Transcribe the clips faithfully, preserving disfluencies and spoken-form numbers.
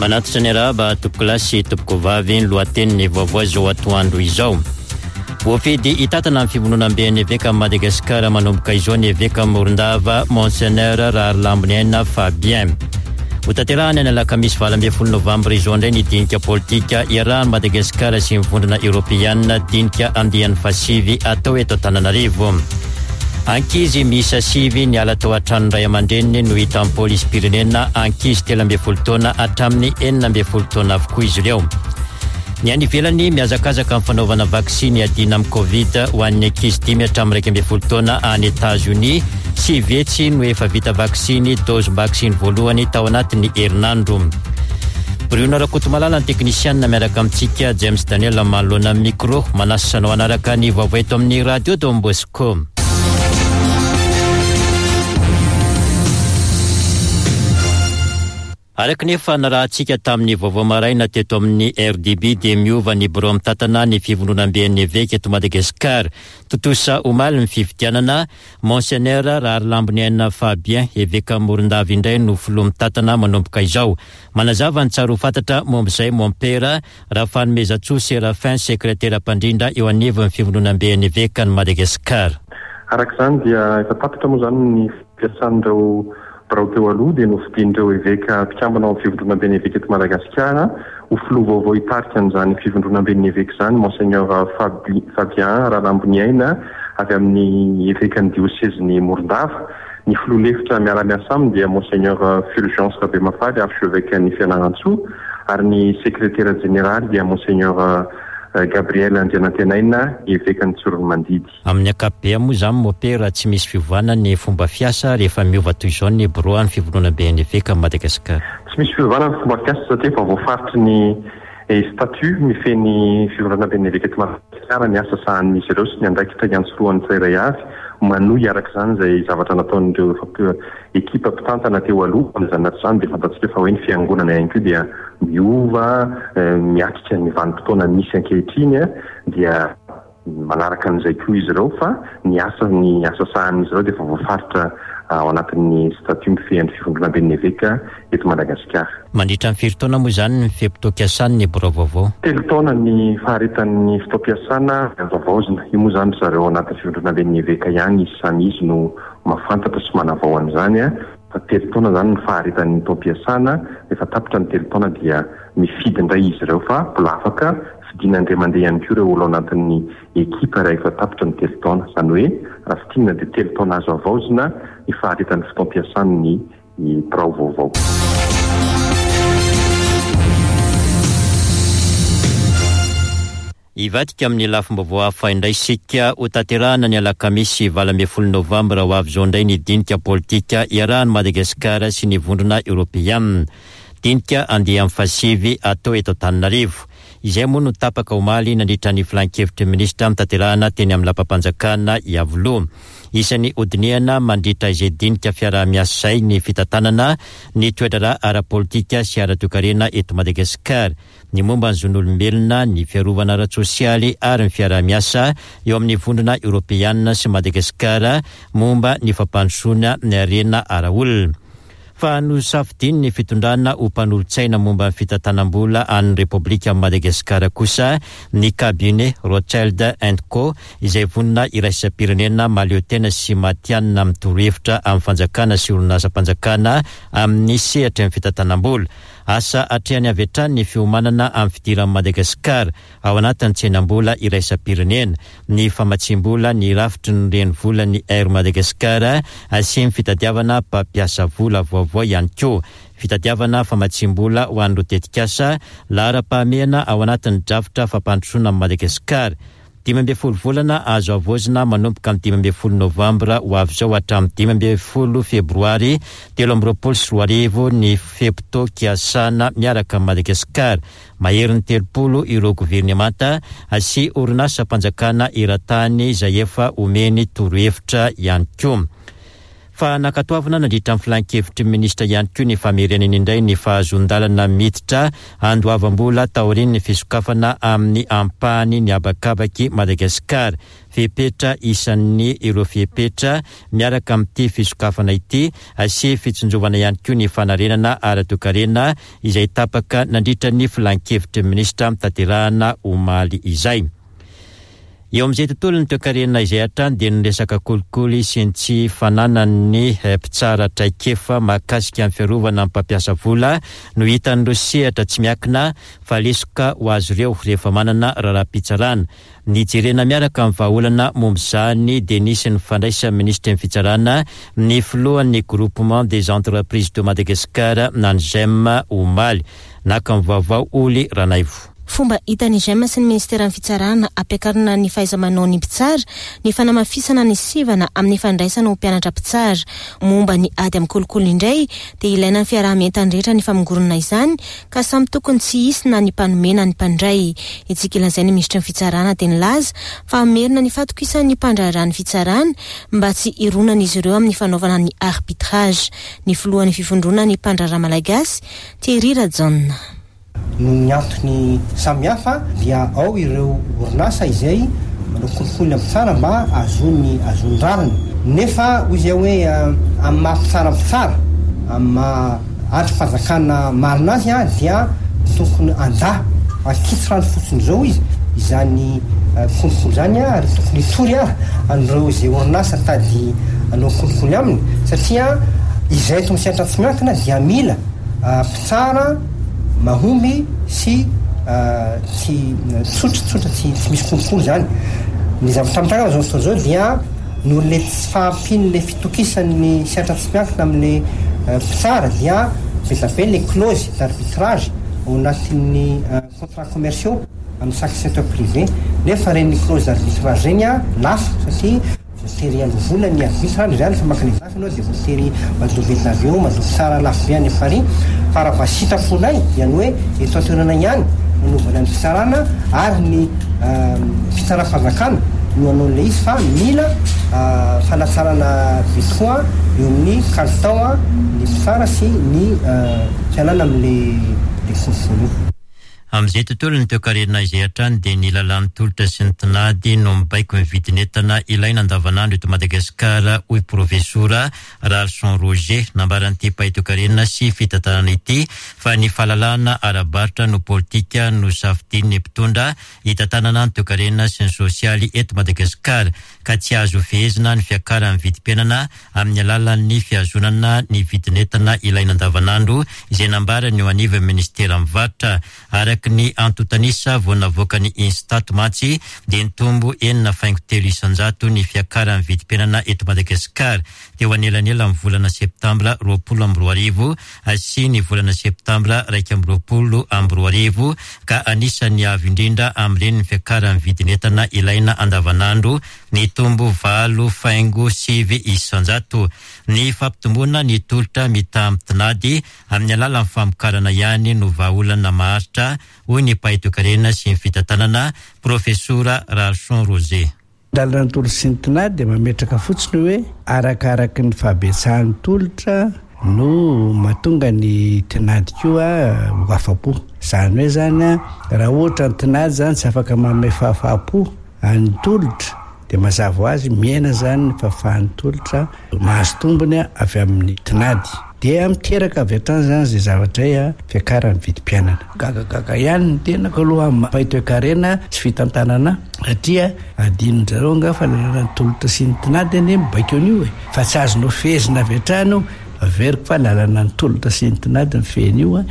Manatitra ny arahaba tompokolahy sy tompokovavy ny lohatenin'ny vaovao izao atoandro izao. Voafidy hitantana ny fivondronamben'ny evekan'i Madagasikara manomboka izao ny eveka Morondava Monseigneur Raharilamboniaina Fabien. Hotanterahina ny alakamisy valo ambin'ny folo novambra izao indray ny dinika politika iarahan'i Madagasikara sy ny vondrona eoropeanina, dinika andiany fahasivy atao eto Antananarivo. Ankizy miisa sivy niala tao an-tranon'ny ray aman-dreniny no hitan'ny polisim-pirenena, ankizy telo ambin'ny folo taona hatramin'ny enina ambin'ny folo taona avokoa izy ireo. Ny any ivelany, mihazakazaka amin'ny fanaovana vaksiny iadiana amin'ny Covid ho an'ny ankizy dimy hatramin'ny iraika ambin'ny folo taona any Etazonia. Sivy hetsy no efa vita vaksiny, dozim-baksiny voalohany tao anatin'ny herinandro. Bruno Rakotomalala ny teknisianina miaraka amintsika, James Daniel manoloana ny micro. Manasa anao hanaraka ny vaovao eto amin'ny Radio Don Bosco. Araka ny efa narahantsika tamin'ny vaovao maraina teto amin'ny R D B dia miova ny birao mitantana ny fivondronamben'ny eveka eto Madagasikara. Tontosa omaly ny fifidianana, Monseigneur Raharilamboniaina Fabien, eveka Morondava indray no filoha mitantana manomboka izao. Manazava ny tsara ho fantatra momba izay Mompera Rafanomezantsoa Séraphin, sekretera mpandrindra eo anivon'ny fivondronamben'ny evekan'i Madagasikara. Araka izany dia efa tapitra moa izany ny fiasan'ireo birao teo aloha, dia nofidian'ireo eveka mpikambana ao amin'ny fivondronamben'ny eveka eto Madagasikara ho filoha vaovao hitarika an'izany fivondronamben'ny eveka izany Monseigneur Fabi-, Fabien Rahalamboniaina avy amin'ny evekan'ny diosezin'i Morondava. Ny filoha lefitra miara-miasa aminy dia Monseigneur Fulgence Rabemafaly, archevêque-n'ny Fianarantsoa, ary ny sekretera jeneraly dia Monseigneur Gabriel Andrianantenaina, evekan'ny Tsiroanomandidy. Amin'ny ankapobeny moa izany Mompera tsy misy fiovana ny fomba fiasa rehefa miova toy izao ny birao an'ny fivondronamben'ny eveka Madagasikara. Tsy misy fiovana ny fomba fiasa satria efa voafaritry ny statut mifehy ny fivondronamben'ny eveka eto Madagasikara ny asa sahanin'izy ireo sy ny andraikitra iantsorohan'ny tsirairay avy. Manohy araka izany izay zavatra nataon'ireo efa ekipa mpitantana teo aloha. Amin'izany anaty izany dia fantatsika fa hoe ny fiangonana ihany koa dia miova, miatrika ny vanim-potoana misy ankehitriny, dia manaraka an'izay koa izy ireo, fa ny asa, ny asa sahanin'izy ireo dia efa voafaritra ao anatin'ny statut mifehy ny fivondronamben'ny eveka eto Madagasikara. Mandritra ny firy taona moa izany ny fe-potoam-piasana ny birao vaovao? Telo taona ny faharetan'ny fotoam-piasana vaovaozina. Io moa izany ry zareo ao anatin'ny fivondronamben'ny eveka ihany izy samy izy no mahafantatra sy manavao an'izany. Fa telo taona izany ny faharetan'ny fotoam-piasana, rehefa tapitra ny telo taona dia mifidy indray izy ireo, fa mbola afaka fidiana indray mandeha ihany koa ireo olona ao anatin'ny ekipa rehefa tapitra ny telo taona. Izany hoe raha fintinina dia telo taona azo havaozina ny faharetan'ny fotoam-piasan'ny birao vaovao. Hivadika amin'ny lafim-baovao hafa indray isika. Hotanterahina ny alakamisy valo ambin'ny folo novambra ho avy izao indray ny dinika politika iarahan'i Madagasikara sy ny vondrona eoropeanina. Dinika andiany fahasivy atao eto Antananarivo. Izay moa no tapaka omaly nandritra ny filan-kevitry ny minisitra notanterahina teny amin'ny lapam-panjakana Iavoloha. Isan'ny hodinihana mandritra izay dinika fiaraha-miasa izay ny fitantanana ny toedraharaha ara-politika sy ara-toekarena eto Madagasikara, ny momba ny zon'olombelona, ny fiarovana ara-tsosialy ary ny fiaraha-miasa eo amin'ny vondrona eoropeanina sy Madagasikara momba ny fampandrosoana ny harena ara-olona. Fa nosafidiany ny fitondrana ho mpanolotsaina momba ny fitantanam-bola an'ny Repoblika Madagasikara kosa ny cabinet Rothschild and Co, izay vonona iraisam-pirenena mahaleo tena sy matihanina amin'ny torohevitra amin'ny fanjakana sy orinasam-panjakana amin'ny sehatry ny fitantanam-bola. Asa atrehany avy hatrany ny fiomanana amin'ny fidiran'i Madagasikara ao anatin'ny tsenam-bola iraisam-pirenena, ny famatsiam-bola, ny rafitry ny renivola ny Air Madagascar sy ny fitadiavana mpampiasa vola vaovao ihany koa. Fitadiavana famatsiam-bola ho an'ireo tetikasa laharam-pahamehana ao anatin'ny drafitra fampandrosoana amin'i Madagasikara. Dimy ambin'ny folo volana azo havaozina manomboka amin'ny dimy ambin'ny folo novambra ho avy izao hatramin'ny dimy ambin'ny folo febroary telo amby roapolo sy roa arivo ny fe-potoam-piasana miaraka amin'i Madagasikara. Maherin'ny telopolo ireo governemanta sy orinasam-panjakana eran-tany izay efa omeny torohevitra ihany koa. Fa nankatoavina nandritra ny filan-kevitry ny minisitra ihany koa ny famerenana indray ny fahazoan-dalana miditra andoavam-bola taorian'ny fisokafana amin'ny ampahany ny habakabak'i Madagasikara. Fepetra isan'ny ireo fepetra miaraka amin'ity fisokafana ity sy fitsinjovana ihany koa ny fanarenana ara-toekarena izay tapaka nandritra ny filan-kevitry ny minisitra mitaterahana omaly izay. Eo amin'izay tontolon'ny toekarena izay hatrany dia ny resaka kolikoly sy ny tsy fananan'ny mpitsara traikefa mahakasika ny fiarovana ny mpampiasa vola no hitan'ireo sehatra tsy miankina fa lesoka ho azy ireo rehefa manana raharaham-pitsarana. Nijerena miaraka amin'ny vahaolana momba izany dia nisy ny fandraisan'ny minisitry ny fitsarana ny filohan'ny Groupement des entreprises de Madagascar na ny G E M omaly. Naka ny vaovao Oly Ranaivo. Fomba hitan'ny G E M sy ny ministeran'ny fitsarana ampiakarina ny fahaiza-manao ny mpitsara ny fanamafisana ny sivana amin'ny fandraisana ho mpianatra mpitsara. Momba ny ady amin'ny kolikoly indray dia ilaina ny fiaraha-mientany rehetra ny famongorona izany, ka samy tokony tsy hisy na ny mpanome na ny mpandray. Itsika ilazay ny ministry ny fitsarana dia nilaza fa amerina ny fatokisan'ny mpandraharaha ny fitsarana mba tsy hironana izy ireo amin'ny fanaovana ny arbitrage. Ny filohan'ny fivondrona ny mpandraharaha malagasy, Thierry Rajaona. Noho ny antony samihafa dia ao ireo orinasa izay manao kolikoly mpitsara mba azony azony rariny, nefa hoy zay hoe amy maha mpitsara mpitsara, amy maha andry fanjakana marina azy a dia tokony anda akitsy rano fotsiny zao izy izany kolikoly zany a, ary tokony hitory a an'ireo zay orinasa tady anao kolikoly aminy, satria izay to misehatra tsy miankina dia mila mpitsara mahomby sy tsy tsotratsotra, tsy tsy misy kolikoly zany. Ny zavatra mitranga zao fotoana zao dia noho le tsy fahampian'le fitokisan'ny sehatra tsy miankina am'le mpitsara dia be da be le clause d'arbitrage ao anatin'ny contrat commerciaux amin'ny chaque secteur privé, nefa reny clause d'arbitrage reny a lafo satria voatery aloa vola ny arbitre any zany fa makany zafy anao, de voatery mandoa billet d'avion, mandoa tsara lafo be any Paris. Fa raha sitraponay dia ny hoe eto an-toerana ihany nanaovana ny fitsarana ary ny fitsaram-panjakana no anao le izy, fa mila fanatsarana be tokoa eo amin'ny kalitao a ny mpitsara sy ny fialana am'le le kolikoly io. Amin'izay tontolo ny toekarena izay hatrany dia ny lalàn'ny tolotra sy ny tinady no mibaiko ny vidin'entana ilaina andavanandro eto Madagasikara, hoy profesora Ralson Roger. Nambaran'ity mpahay toekarena sy fitantanana ity fa ny fahalalana ara-barotra no politika no safidin'ny mpitondra hitantanana ny toekarena sy ny sosialy eto Madagasikara, ka tsy azo fehezina ny fiakaran'ny vidim-piainana amin'ny alalan'ny fihazonana ny vidin'entana ilaina andavanandro izay nambarany eo anivon'ny ministeran'ny varotra. Araky ny antontanisa vao navoaka ny Instat mantsy dia nitombo enina faingo telo isanjato ny fiakaran'ny vidim-piainana eto Madagasikara teo anelanela amin'ny volana septambra roapolo amby roa arivo sy ny volana septambra raika amby roapolo amby roa arivo, ka anisan'ny avo indrindra amin'ireny ny fiakaran'ny vidin'entana ilaina andavanandro nitombo valo faingo sivy isanjato. Ny fampitomboana ny tolotra mitaha amin'ny tinady amin'ny alalan'ny famokarana ihany no vahaolana maharitra, hoy ny mpahay toekarena sy ny fitantanana, profesora Ralson Roger. Lalana ny tolotra sy ny tinady dia mametraka fotsiny hoe arakaraky ny fahabetsahan'ny tolotra no mahatonga ny tinady koa ho afa-po. Zany hoe zany a raha ohatra ny tinady zany tsy afaka manome fahafahapo any tolotra, dia mazava ho azy mihena zany ny fahafahan'ny tolotra mahazo tombony avy amin'ny tinady, dia miteraka avy hatrany zany zay zavatra y a fiakaran'ny vidim-piainana. Gagagaga ihany ny tenako aloha mpahay toekarena sy fitantanana, satria adinonjareo nga fa lalana ny tolotra sy ny tinady anie mibaiko an'io e, fa tsy azonao fehezina avy hatrany io. Averiko fa lalana ny tolotra sy ny tinady ny fehiny io a.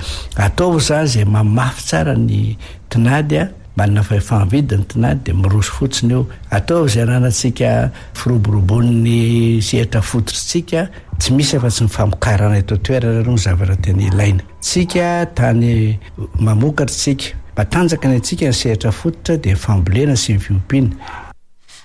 Ataovy zany zay mamafy tsara ny tinady a, manana fahefa-mividy ny tinady, dia miroso fotsiny eo. Ataovy zay ananantsika firoborobon'ny sehatra fototritsika, tsy misy afa-tsy ny famokarana eto toerana aloha ny zavatra tena ilaina tsika. Tany mamokatra tsika, matanjaka ny atsika ny sehatra fototra, dia fambolena sy ny fiompiana.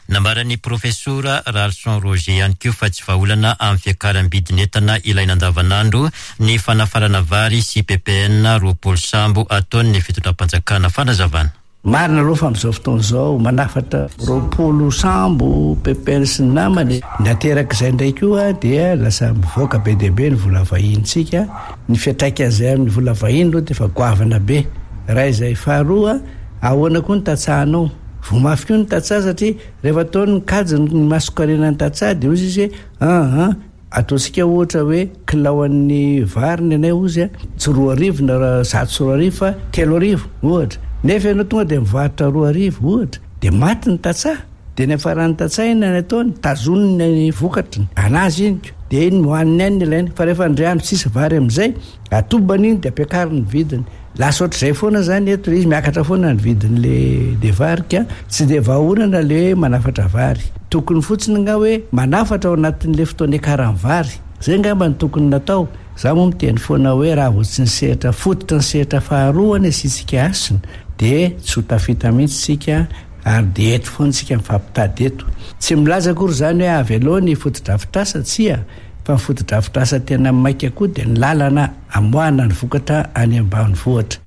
Nambaran'ny profesora Ralson Roger ihany koa fa tsy vahaolana amin'ny fiakaram-bidin'entana ilaina andavanandro ny fanafarana vary sy P P N roapolo sambo ataon'ny fitondram-panjakana. Fanazavana. Marina aloha fa amin'izao fotoana izao manafatra roapolo sambo P P N sy ny namany. Ny aterak'izay indray koa dia lasa mivoaka be dia be ny vola vahinintsika. Ny fiantraikan'izay amin'ny vola vahiny aloha dia efa goavana be. Raha izay faharoa, ahoana koa ny tantsahanao? Voa mafy koa ny tantsaha satria rehefa ataony ny kajy ny masokarena ny tantsaha dia hoy izy hoe ah, ah, ataontsika ohatra hoe kilaoan'ny vary ny anay hozy a, tsy roa arivo na zato sy roa arivo fa telo arivo ohatra. Nefa ianao tonga dia mivarotra roa arivo ohatra, dia maty ny tantsaha. Dia ny afaran'ny tantsaha inona ny ataony? Tazoniny ny vokatriny, anazy iny ko. Dia iny hohaniny any ny ilainy. Fa rehefa indray andro tsisy vary amin'izay, atobany iny dia ampiakariny ny vidiny. Lasa ohatr'izay foana zany eto, izy miakatra foana ny vidin'le de vary ka tsy dia vahaolana le manafatra vary. Tokony fotsiny nga hoe manafatra ao anatin'le fotoana iakaran'ny vary. Zay angamba no tokony natao. Za moa miteny foana hoe raha vao tsy ny sehatra fototra ny sehatra faharoa ny asiantsika hasina dia tsy ho tafita mihitsy tsika ary dia eto foana tsika mifampitady eto. Tsy milaza akory zany hoe avy aloha ny fotodrafitrasa, tsia, fa ny fotodrafitrasa tena maika koa dia ny lalana amoahana ny vokatra any ambanivohitra.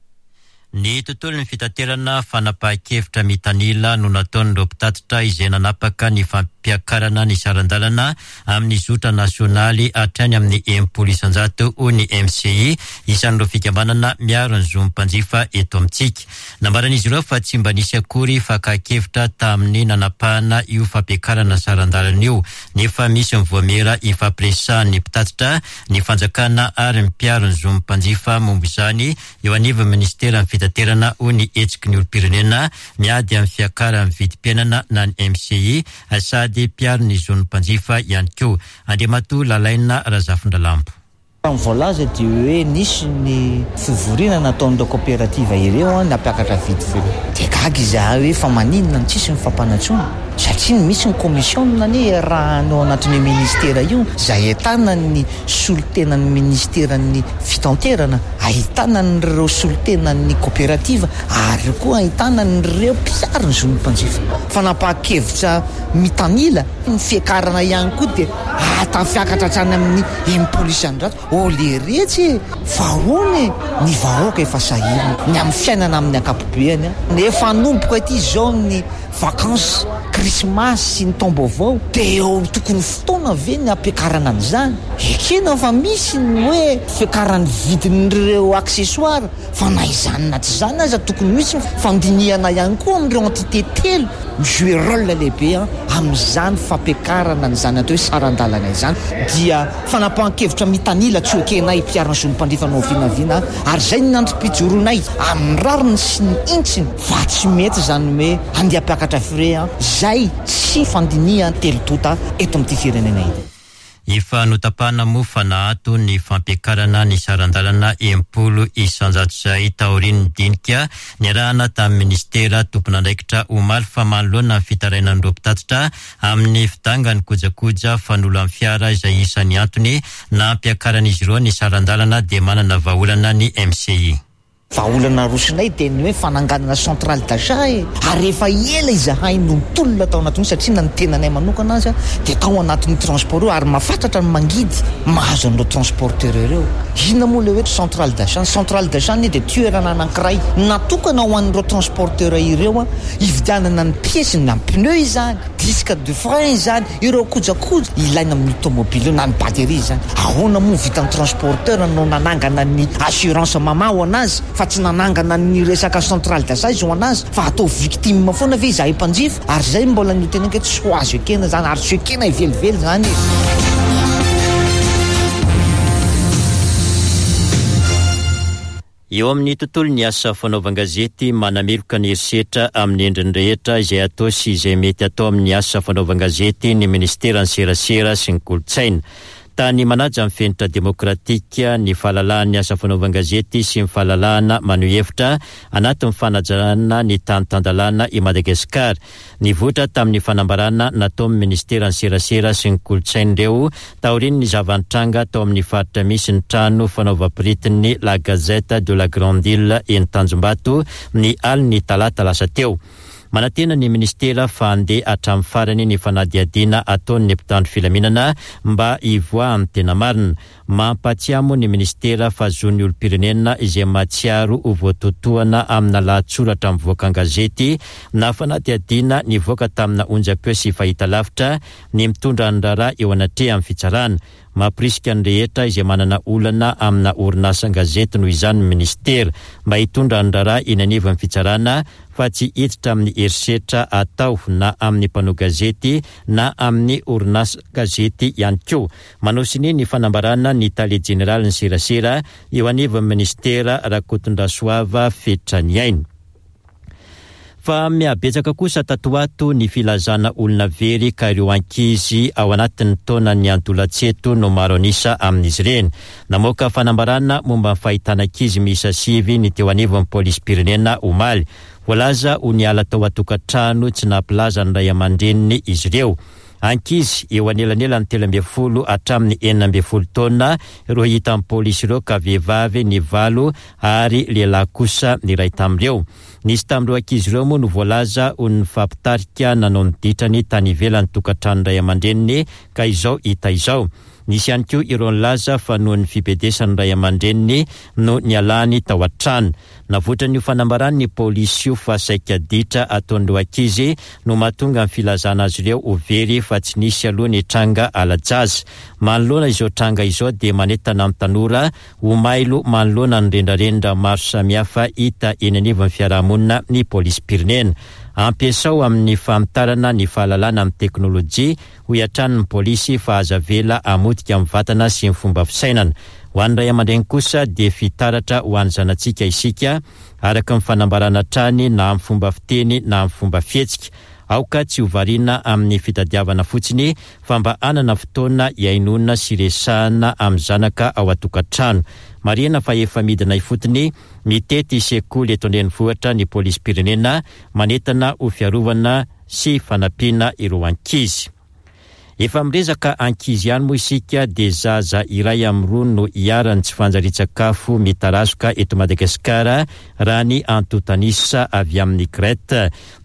Ny tontolon'ny fitaterana fanapahan-kevitra mitanila no nataon'ireo mpitatitra izay nanapaka ny fampiakarana ny saran-dalana amin'ny zotra nasionaly hatrany amin'ny enimpolo isan-jato hoy ny M C I, isan'ireo fikambanana miaro ny zon'ny mpanjifa eto amintsika. Nambaran'izy ireo fa tsy mba nisy akory fakan-kevitra tamin'ny nanapahana io fampiakarana saran-dalana io, nefa misy ny voamera ifampiresahan'ny mpitatitra, ny fanjakana ary ny mpiaro ny zon'ny mpanjifa momba izany eo anivon'ny ministeran'ny fitaterana hoy ny hetsiky ny olom-pirenena miady amin'ny fiakaran'ny vidim-piainana na ny M C I sady mpiaro ny zon'ny mpanjifa ihany koa. Andriamatoa Lalaina Razafindralambo. Ny voalaza dia hoe nisy ny fivoriana nataon'ireo coopérative ireo an, nampiakatra vidy feo. Dia gaga izahay hoe fa maninona no tsisy ny fampanantsoana? Satria misy ny commission anie raha ao anatin'io ministera io, izay ahitana ny solontenan'ny ministeran'ny fitanterana, ahitana an'ireo solontenan'ny coopérative ary koa ahitana an'ireo mpiaro ny zon'ny mpanjifa. Fanapahan-kevitra mitanila, ny fiakarana ihany koa dia ahatafiakatra hatrany amin'ny enimpolo isan-jato. Oh, le retsy e! Fa ahoana e? Ny vahoaka efa sahirana ny amin'ny fiainana amin'ny ankapobeny a. Efa hanomboka ity izao ny vacances, krismasy sy ny taom-baovao, dia eo tokony fotoana ve ny hampiakarana an'izany? Ekena fa misy ny hoe fiakaran'ny vidin'ireo accessoires, fa na izany na tsy izany aza tokony misy ny fandinihana ihany koa amin'ireo entité telo mijouer rôle lehibe a amin'izany fampiakarana an'izany atao hoe saran-dalana izany. Dia fanapahan-kevitra mitanila tsy ekenay mpiaro ny zon'ny mpanjifa no vinavina, ary izay ny androm-pijoronay amin'ny rariny sy ny hintsiny, fa tsy mety izany hoe andeha hampiakatra frais a, izay tsy fandinihana telo tonta eto amin'ity firenena ity. Efa notapahana moa fa nahato ny fampiakarana ny saran-dalana enimpolo isan-jato izay taorian'ny dinika niarahana tamin'ny ministera tompon'andraikitra omaly fa manoloana ny fitarainan'ireo mpitatitra amin'ny fidangan'ny kojakoja fanolan'ny fiara izay isan'ny antony nampiakaran'izy ireo ny saran-dalana dia manana vahaolana ny M C I. Vahaolana rosinay dia ny hoe fananganana centrale d'achat e. Ary efa ela izahay no nitolona tao anatin'io satria na ny tenanay manokana aza dia tao anatin'io transport io ary mahafatratra ny mangidy mahazo an'ireo transporteur ireo. Inona moa ilay hoe centrale d'achat? Ny centrale d'achat anie dia toerana anankiray natokana ho an'ireo transporteur ireo a, hividianana ny pièces, na ny pneu izany, disque de frein izany, ireo kojakoja ilaina amin'ny automobile io, na ny batterie izany. Ahoana moa vitan'ny transporteur no nanangana ny assurance mama ho anazy fa tsy nanangana ny resaka centrale d'achat izy ho anazy, fa atao victime foana ve izahay mpanjifa? Ary izay mbola noteneniko hoe tsy ho azo ekena izany, ary tsy ekena hivelively izany. Eo amin'ny tontolo ny asa fanaovan-gazety, manameloka ny herisetra amin'ny endriny rehetra izay atao sy izay mety atao amin'ny asa fanaovan-gazety ny ministeran'ny serasera sy ny kolontsaina. Tany manaja ny fenitra demokratika, ny fahalalahana ny asa fanaovan-gazety sy ny fahalalahana maneho hevitra anatin'ny fanajana ny tany tan-dalàna i Madagasikara. Nivoitra tamin'ny fanambarana nataon'ny ministeran'ny serasera sy ny kolontsaina ireo taorian'ny zava-nitranga tao amin'ny faritra misy ny trano fanaovam-piritin'ny La Gazette de la Grande Île eny Tanjombato ny alin'ny talata lasa teo. Manantena ny ministera fa handeha hatramin'ny farany ny fanadihadiana ataon'ny mpitandro filaminana mba hivoahan'ny tena marina. Mampatsiahy moa ny ministera fa zon'ny olom-pirenena izay mahatsiaro ho voatotohana amina lahatsoratra mivoaka an-gazety na fanadihadiana nivoaka tamina onjam-peo sy fahitalavitra ny mitondra ny raharaha eo anatrehan'ny fitsarana. Mampirisika ny rehetra izay manana olana amina orinasan-gazety noho izany ny ministera mba hitondra ny raharaha eny anivon'ny fitsarana fa tsy hiditra amin'ny herisetra atao na amin'ny mpanao gazety na amin'ny orinasan-gazety ihany koa. Manao sonia ny fanambarana ny tale jeneralin'ny serasera eo anivon'ny ministera Rakotondrasoava Fetraniaina. Fa mihabetsaka kosa tato ho ato ny filazana olona very ka ireo ankizy ao anatin'ny taonan'ny antolatseto no maro an'isa amin'izy ireny. Namoaka fanambarana momba ny fahitana ankizy miisa sivy ny teo anivon'ny polisim-pirenena omaly. Voalaza ho niala tao an-tokantrano tsy nampilaza ny ray aman-dreniny izy ireo. Ankizy eo anelanelan'ny telo ambin'ny folo hatramin'ny enina ambin'ny folo taona ireo hitan'ny polisy ireo ka vehivavy ny valo ary lehilahy kosa ny iray tamin'ireo. Nisy tamin'ireo ankizy ireo moa no voalaza ho nifampitarika nanao ny ditrany tany ivelan'ny tokantrano ray aman-dreniny ka izao hita izao. Nisy ihany koa ireo nilaza fa noho ny fibedesan'ny ray aman-dreniny no nialany tao an-trano. Navoitran'io fanambarany ny polisy io fa saika ditra ataon'ireo ankizy no mahatonga ny filazana azy ireo ho very fa tsy nisy aloha ny tranga ala-jaza. Manoloana izao tranga izao dia manentana ny tanora ho mailo manoloana ny rendrarendra maro samihafa hita eny anivon'ny fiarahamonina ny polisim-pirenena. Ampiasao amin'ny famotarana ny fahalalana amin'ny teknôlôjia hoy hatrany ny polisy fa aza avela hamotika amin'ny vatana sy ny fomba fisainana. Ho an'ny ray aman-dreny kosa dia fitaratra ho an'ny zanatsika isika araka ny fanambarana hatrany na amin'ny fomba fiteny na amin'ny fomba fihetsika. Aoka tsy ho variana amin'ny fitadiavana fotsiny fa mba hanana fotoana hihainoana sy resahana amin'ny zanaka ao an-tokantrano. Marihina fa efa midina ifotony mitety sekoly eto an-drenivohitra ny polisim-pirenena manentana ho fiarovana sy fanampiana ireo ankizy. Efa miresaka ankizy ihany moa isika dia zaza iray amin'ny roa no iharan'ny tsy fanjarian-tsakafo mitarazoka eto Madagasikara raha ny antontanisa avy amin'ny CRET.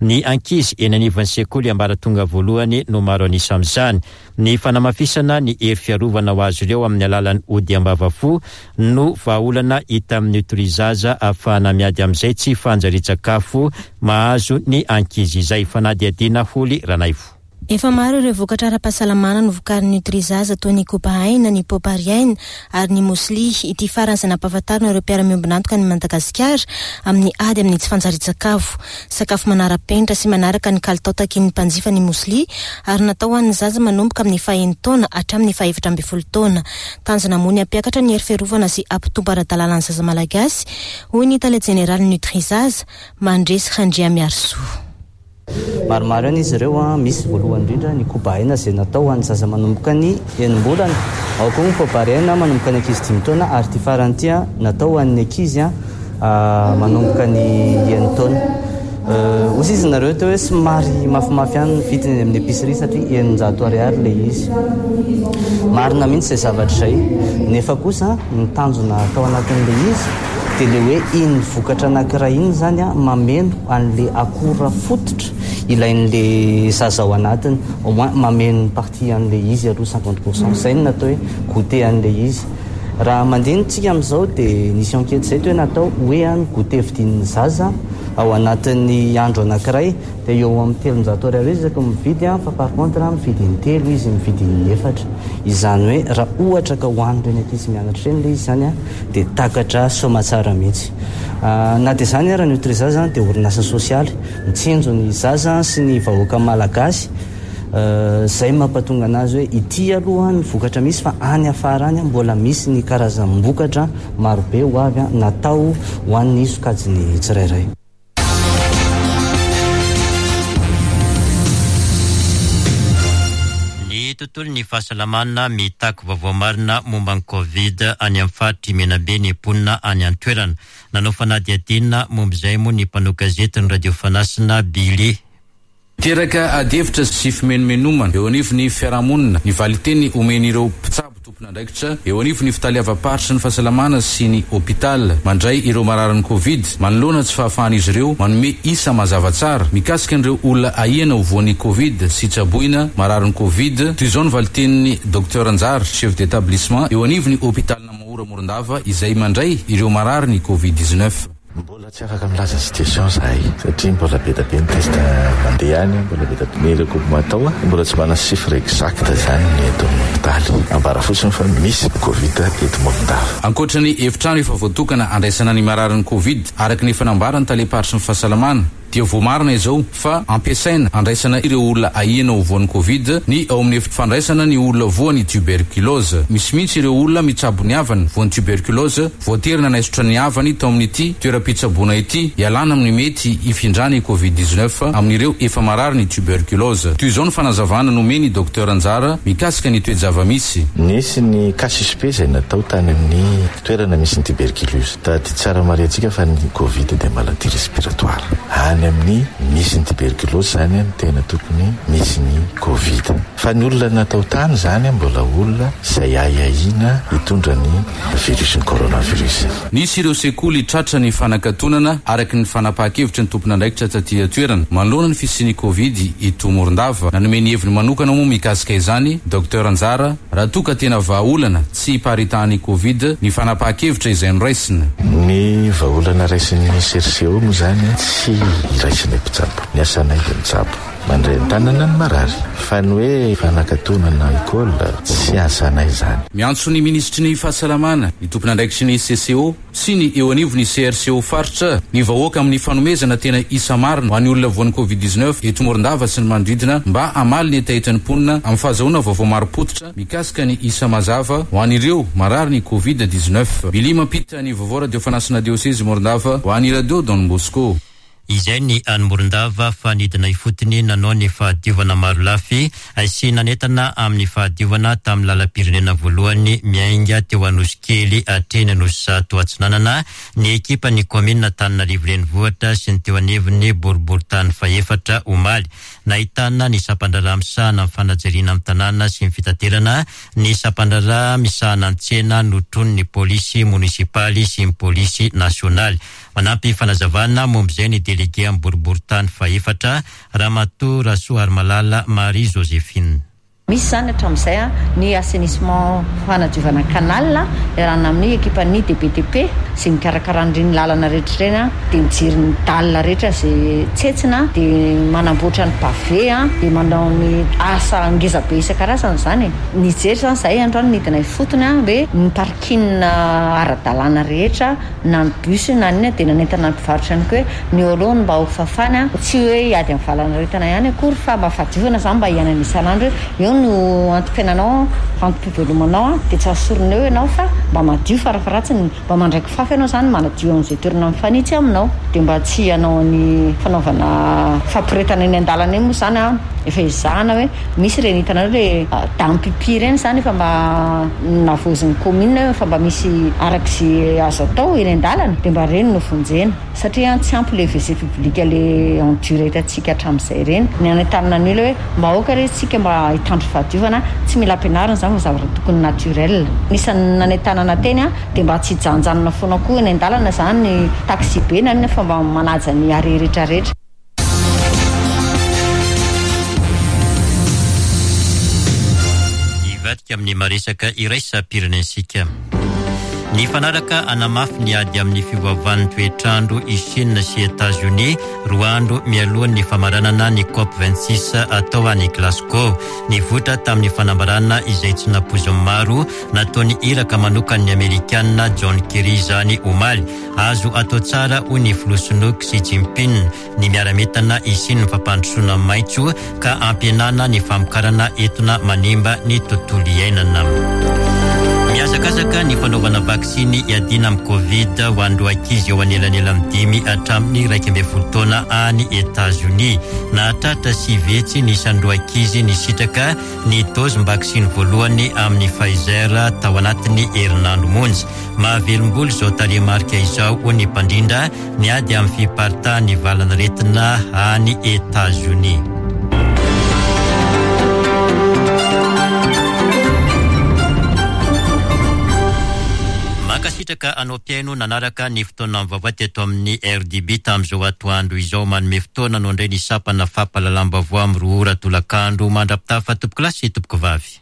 Ny ankizy eny anivon'ny sekoly ambaratonga voalohany no maro an'isa amin'izany. Ny fanamafisana ny hery fiarovana ho azy ireo amin'ny alalan'ny ody ambavafo no vahaolana hita amin'ny Nutrizaza ahafahana miady amin'izay tsy fanjarian-tsakafo mahazo ny ankizy izay. Fanadihadiana Holy Ranaivo. Efa maro ireo vokatra ara-pahasalamana novokarin'ny Nutrizaza toy ny koba aina, ny popariaina ary ny mosli. Ity farany izay nampahafantarina ireo mpiara-miombon'antoka any Madagasikara amin'ny ady amin'ny tsy fanjarian-tsakafo. Sakafo manara-penitra sy manaraka ny kalitao takin'ny mpanjifa ny mosli ary natao ho an'ny zaza manomboka amin'ny fahenina taona hatramin'ny fahefatra ambin'ny folo taona. Tanjona moa ny hampiakatra ny hery fiarovana sy hampitombo ara-dalàna ny zaza malagasy, hoy ny tale jeneraly Nutrizaza, Mandresy Randriamiarisoa. Maromaro ihany izy ireo, misy voalohany indrindra ny koba aina izay natao ho an'ny zaza manomboka ny enim-bolana, ao koa ny popariaina manomboka ny ankizy dimy taona ary ity farany ity natao ho an'ny ankizy manomboka ny enin-taona. Hoy izy nareo teo hoe somary mafimafy ihany ny vidiny eny amin'ny épicerie satria eninjato ariary ilay izy. Marina mihitsy izay zavatra izay, nefa kosa ny tanjona atao anatin'ilay izy dia ilay hoe iny vokatra anankiray iny zany a mameno an'ilay akora fototra ilain'ilay zaza ao anatiny, au moins mameno ny partie an'ilay izy aloha cinquante pour cent. Izay no natao hoe goûter an'ilay izy. Raha mandinika amin'izao dia nisy enquête izay teo hoe natao hoe ny goûter vidian'ny zaza ao anatin'ny andro anankiray dia eo amin'ny telonjato ariary izy ka mividy, fa par contre mividy intelo izy, mividy inefatra. Izany hoe raha ohatra ka ho an'ireny ankizy mianatra ireny ilay izy zany a dia takatra soamantsara mihitsy. Na dia izany ara ny Nutrizaza dia orinasa sosialy mitsinjo ny zaza sy ny vahoaka malagasy. Izay mampatonga anazy hoe ity aloha ny vokatra misy fa any afara any mbola misy ny karazam-bokatra marobe ho avy natao ho an'ny sokajiny tsirairay. Ny tontolon'ny fahasalamana mitaky vaovao marina momba ny Covid any amin'ny faritry Menabe ny mponina any an-toerana. Nanao fanadihadiana momba izay moa ny mpanao gazety ny Radio Fanasina Billy. Teraka adihevitra sy fimenomenomana eo anivon'ny fiarahamonina ny valiteny omen'ireo mpitsabo Tompon'andraikitra eo anivon'ny fitaleavam-paritry ny fahasalamana sy ny hôpital mandray ireo mararin'ny Covid manoloana tsy fahafahan'izy ireo manome isa mazava tsara mikasika an'ireo olona ahiana ho voan'ny Covid sy tsaboina mararin'ny Covid. Toy izao ny valitenin'ny Docteur Anjara, chef d'établissement eo anivon'ny hôpital Namahora Morondava izay mandray ireo mararin'ny Covid dix-neuf. Mbola tsy afaka milaza situation zahay satria mbola be dia be ny test mandeha any, mbola be dia be ny recoupement atao, mbola tsy manana chiffre exact zany ny eto amin'ny hôpitaly. Ambara fotsiny fa misy Covid eto Morondava. Ankoatra ny efitrano efa voatokana andraisana ny mararin'ny Covid, araka ny efa nambaran'ny tale-paritry ny fahasalamana, dia voamarina izao fa ampiasaina andraisana ireo olona ahiana ho voan'ny Covid ny ao amin'ny efitra fandraisana ny olona voan'ny tuberculose. Misy mihitsy ireo olona mitsabo ny havany voan'ny tuberculose voatery nanaisotra ny havany tao amin'ity toeram-pitsaboana ity ialana amin'ny mety hifindrany Covid dix-neuf amin'ireo efa marary ny tuberculose. Toy izao ny fanazavana nomeny Docteur Anjara mikasika ny toe-java-misy. Nisy ny cas suspect izay natao tany amin'ny toerana misy ny tuberculose. Tady tsara mariantsika fa ny Covid dia maladie respiratoire. Any amin'ny misy ny tuberculose zany no tena tokony misy ny Covid. Fa ny olona natao tany zany mbola olona izay ahiahiana hitondra ny virus ny coronavirus. Nisy ireo sekoly tratra ny fanakatonana araka ny fanapahan-kevitry ny tompon'andraikitra taty an-toerana manoloana ny fisian'ny Covid eto Morondava. Nanome ny heviny manokana moa mikasika izany Docteur Anjara raha toa ka tena vahaolana tsy hiparitahan'ny Covid ny fanapahan-kevitra izay noraisina. Ny vahaolana raisin'ny C R C O moa zany tsy iraisinay mpitsabo. Ny asanay dia mitsabo, mandray an-tanana ny marary. Fa ny hoe fanakatonana école tsy asanay izany. Miantso ny minisitry ny fahasalamana, ny tompon'andraikitry ny C C O sy ny eo anivon'ny C R C O faritra ny vahoaka amin'ny fanomezana tena isa marina ho an'ny olona voan'ny Covid dix-neuf eto Morondava sy ny manodidina mba hamaly ny hetahetan'ny mponina amin'ny fahazahoana vaovao marim-pototra mikasika ny isa mazava ho an'ireo marary ny Covid dix-neuf. Billy mampita ny vaovao radio fanasina diocese Morondava ho an'ny radio Don Bosco. Izay ny any Morondava fa nidina ifotony nanao ny fahadiovana marolafy sy nanentana amin'ny fahadiovana tamin'ny lalam-pirenena voalohany miainga teo Anosikely hatreny Anosizato Atsinanana ny ekipan'ny kaominina Antananarivo Renivohitra sy ny teo anivon'ny boriborintany fahefatra omaly. Nahitana ny sampan-draharaha misahana ny fanajariana amin'ny tanàna sy ny fitaterana, ny sampan-draharaha misahana ny tsena notronin'ny polisy monisipaly sy ny polisy nasionaly. Manampy fanazavana momba izay ny délégué amin'ny boriborintany fahefatra Ramatoa Rasoarimalala Marie Joséphine. Misy zany hatramin'izay a ny assainissement fanadiovana canal iarahana amin'ny ekipan'ny D B T P izay mikarakara an'ireny lalana rehetra ireny a, dia mijery ny dalle rehetra izay tsetsina, dia manamboatra ny pavé a, dia manao ny asa ngeza be isan-karazany zany e. Nijery zany zahay androany nidina ifotony a, hoe ny parking ara-dalàna rehetra na ny bus na ny inona, dia nanentana ny mpivarotra ihany koa hoe ny eo aloha no mba ho fafana, tsy hoe hiady amin'ny valanaretina ihany akory fa mba fahadiovana zany mba hiainana isan'andro hoe eo no antom-piainanao, antom-pivelomanao, dia tsy asorina eo ianao fa mba madio farafaharatsiny, mba mandraiky fafy ianao zany manadio amin'izay toerana mifanitsy aminao, dia mba tsy hanao ny fanaovana fampiretana eny an-dalana eny moa zany a, efa ezahana hoe misy ireny hitanareo le dame-pipi ireny zany efa mba navozin'ny commune, efa mba misy arak'izay azo atao eny an-dalana, dia mba ireny no vonjena satria tsy ampy le W C public le en dur hitantsika hatramin'izay ireny. Ny anentanana ny olona hoe mba aoka re isika mba hitandro fahadiovana, tsy mila ampianarina izany fa zavatra tokony naturel. Nisan'ny nanentanana teny a, dia mba tsy hijanonjanona foana koa eny an-dalana izany ny taxi be na inona fa mba manaja ny arrêt rehetrarehetra. Hivadika amin'ny maresaka iraisam-pirenentsika. Ny fanaraka hanamafy ny ady amin'ny fiovaovan'ny toetrandro i Chine sy États-Unis roa andro mialohan'ny famaranana ny COP vingt-six atao any Glasgow. Nivoitra tamin'ny fanambarana izay tsy nampoizin'ny maro nataon'ny iraka manokan'ny Amerikana John Kerry izany omaly. Azo atao tsara hoy ny filoha sinoa Xi Jinping ny miara-mientana hisian'ny fampandrosoana maitso ka hampihenana ny famokarana entona manimba ny tontolo iainana. Mihazakazaka ny fanaovana vaksiny hiadiana amin'ny Covid ho an'ireo ankizy eo anelanelan'ny dimy hatramin'ny iraika ambin'ny folo taona any États-Unis. Nahatratra sivy hetsy ny isan'ireo ankizy nisitraka ny dozim-baksiny voalohany amin'ny Pfizer tao anatin'ny herinandro monja. Mahavelom-bolo izao tarehimarika izao hoy ny mpandrindra ny ady amin'ny fiparitahan'ny valanaretina any États-Unis. Mankasitraka anao mpihaino nanaraka ny fotoana vaovao teto amin'ny R D B tamin'izao atoandro izao. Manome fotoana no indray ny sampana fampahalalam-baovao amin'ny roa ora tolakandro. Mandra-pitafa, tompoko lahy sy tompoko vavy.